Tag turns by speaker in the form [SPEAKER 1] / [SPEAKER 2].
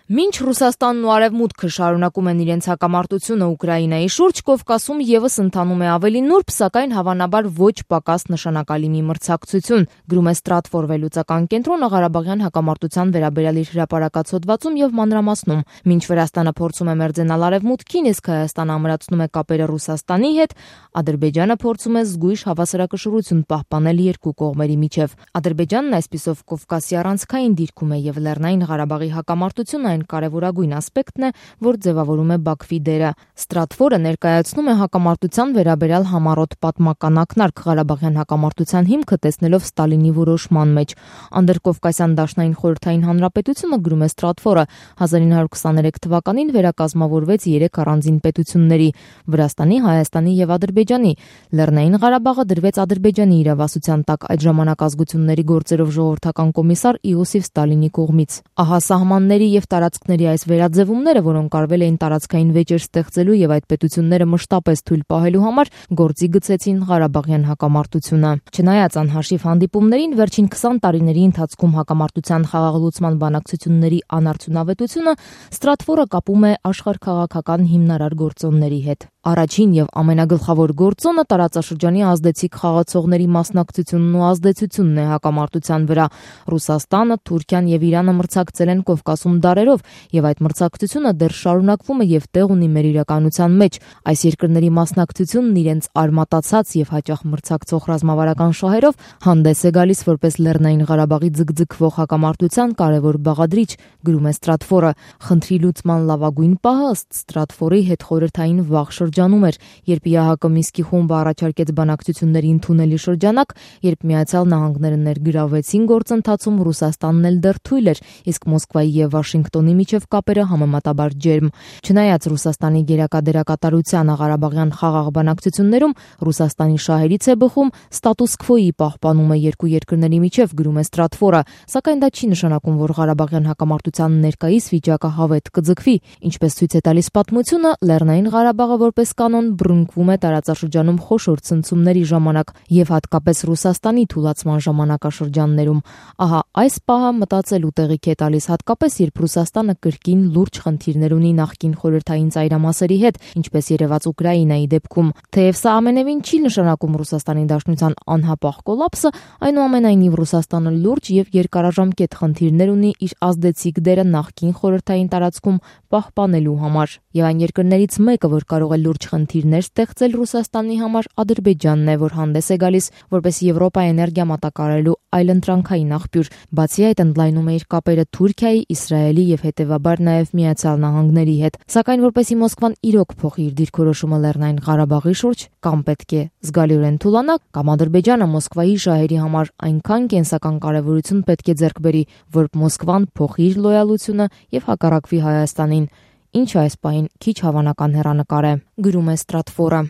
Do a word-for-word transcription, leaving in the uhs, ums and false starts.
[SPEAKER 1] Մինչ Ռուսաստանն ու Արևմուտքը շարունակում են իրենց հակամարտությունը Ուկրաինայի շուրջ, Կովկասում ևս ընթանում է ավելի նուրբ, սակայն հավանաբար ոչ պակաս նշանակալի մի մրցակցություն, գրում է Stratfor վերլուծական կենտրոնը Ղարաբաղյան հակամարտության վերաբերյալ իր հրապարակած հոդվածում եւ մանրամասնում։ Մինչ Վրաստանը փորձում է մերձենալ Արևմուտքին, իսկ Հայաստանը ամրացնում է կապերը Ռուսաստանի հետ, Ադրբեջանը փորձում է զգույշ հավասարակշռություն պահպանել երկու կողմերի միջև։ Ադրբեջանն այսպիսով Կովկասի առանցքային դիրքում է եւ Լեռնային Ղարաբաղի հակամարտությունը այն կարևորագույն ասպեկտն է, որ ձևավորում է Բաքվի դերը։ Stratfor-ը ներկայացնում է հակամարտության վերաբերյալ համառոտ պատմական ակնարկ Ղարաբաղյան հակամարտության հիմքը տեսնելով Ստալինի որոշման մեջ։ Անդրկովկասյան դաշնային խորհրդային հանրապետությունը, գրում է Stratfor-ը, հազար ինը հարյուր քսաներեք թվականին վերակազմավորվեց երեք առանձին պետությունների՝ Վրաստանի, Հայաստանի եւ Ադրբեջանի։ Լեռնային Ղարաբաղը դրվեց Ադրբեջանի իրավասության տակ այդ ժամանակ ազգությունների գործերով ժողովրդական կոմիսար Իոսիֆ Ստալինի կողմից։ Ահա սահմանների եւ տարածքների այս վերաձևումները, որոնք արվել էին տարածքային վեճեր ստեղծելու եւ այդ պետությունները մշտապես թույլ պահելու համար, գործի գցեցին Ղարաբաղյան հակամարտությունը։ Չնայած անհաշիվ հանդիպումներին, վերջին քսան տարիների ընթացքում հակամարտության խաղաղլուծման բանակցությունների անարդյունավետությունը Stratfor-ը կապում է աշխարհքաղաքական հիմնարար գործոնների հետ։ Առաջին եւ ամենագլխավոր գործոնը տարածաշրջանի ազդեցիկ խաղացողների մասնակցությունն ու ազդեցությունն է հակամարտության վրա։ Ռուսաստանը, Թուրքիան եւ Իրանը մրցակցել են Կովկասում դարերով եւ այդ մրցակցությունը դեռ շարունակվում է եւ տեղ ունի մեր իրականության մեջ։ Այս երկրների մասնակցությունն իրենց արմատացած եւ հաճախ մրցակցող ռազմավարական շահերով հանդես է գալիս որպես Լեռնային Ղարաբաղի ձգձգվող հակամարտության կարևոր բաղադրիչ, գրում է Stratfor-ը։ Խնդրի լուծման լավագույն պահը ըստ Stratfor-ի հետխորհրդային վաղ շրջանում էր, երբ ԵԱՀԿ Մինսկի խումբը առաջարկեց բանակցությունների ընդունելի շրջանակ, երբ Միացյալ Նահանգները ներգրավվեցին գործընթացում, Ռուսաստանն էլ դեռ թույլ էր, իսկ Մոսկվայի եւ Վաշինգտոնի միջև կապերը համեմատաբար ջերմ։ Չնայած Ռուսաստանի գերակա դերակատարությանը Ղարաբաղյան խաղաղ բանակցություններում, Ռուսաստանի շահերից է բխում ստատուս քվոյի պահպանումը երկու երկրների միջև, գրում է Stratfor-ը, սակայն դա չի նշանակում, որ Ղարաբաղյան հակամարտության ներկայիս վիճակը հավետ կձգվի։ Ինչպես ցույց է տալիս պատմությունը, Լեռնային Ղարաբաղը որպես կանոն բռնկվում է տարածաշրջանում խոշոր ցնցումների ժամանակ եւ հատկապես Ռուսաստանի թուլացման ժամանակաշրջաններում։ Ահա այս պահը մտածելու տեղիք է տալիս, հատկապես երբ Ռուսաստանը կրկին լուրջ խնդիրներ ունի նախկին խորհրդային ծայրամասերի հետ, ինչպես երևաց Ուկրաինայի դեպքում։ Թեև սա ամենևին չի նշանակում Ռուսաստանի Դաշնության անհապաղ կոլապսը, այնուամենայնիվ Ռուսաստանը լուրջ եւ երկարաժամկետ խնդիրներ ունի իր ազդեցիկ դերը նախկին խորհրդային տարածքում պահպանելու համար։ Եվ այն երկրներից մեկը, որ կարող է լուրջ խնդիրներ ստեղծել Ռուսաստանի համար, Ադրբեջանն է, որ հանդես է գալիս որպես Եվրոպա էներգիա մատակարարելու այլընտրանքային աղբյուր։ Բացի այդ, ընդլայնում է իր կապերը Թուրքիայի, Իսրայելի եւ հետեւաբար նաեւ Միացյալ Նահանգների հետ։ Սակայն որպեսզի Մոսկվան իրոք փոխի իր դիրքորոշումը Լեռնային Ղարաբաղի շուրջ, կամ պետք է զգալիորեն թուլանա, կամ Ադրբեջանը Մոսկվայի շահերի համար այնքան կենսական կարևորություն պետք է ձեռք բերի, որ Մոսկվան փոխի իր լոյալությունը եւ հակառակվի Հայաստանին, ինչը այս պահին քիչ հավանական հեռանկար է, գրում է Stratfor-ը։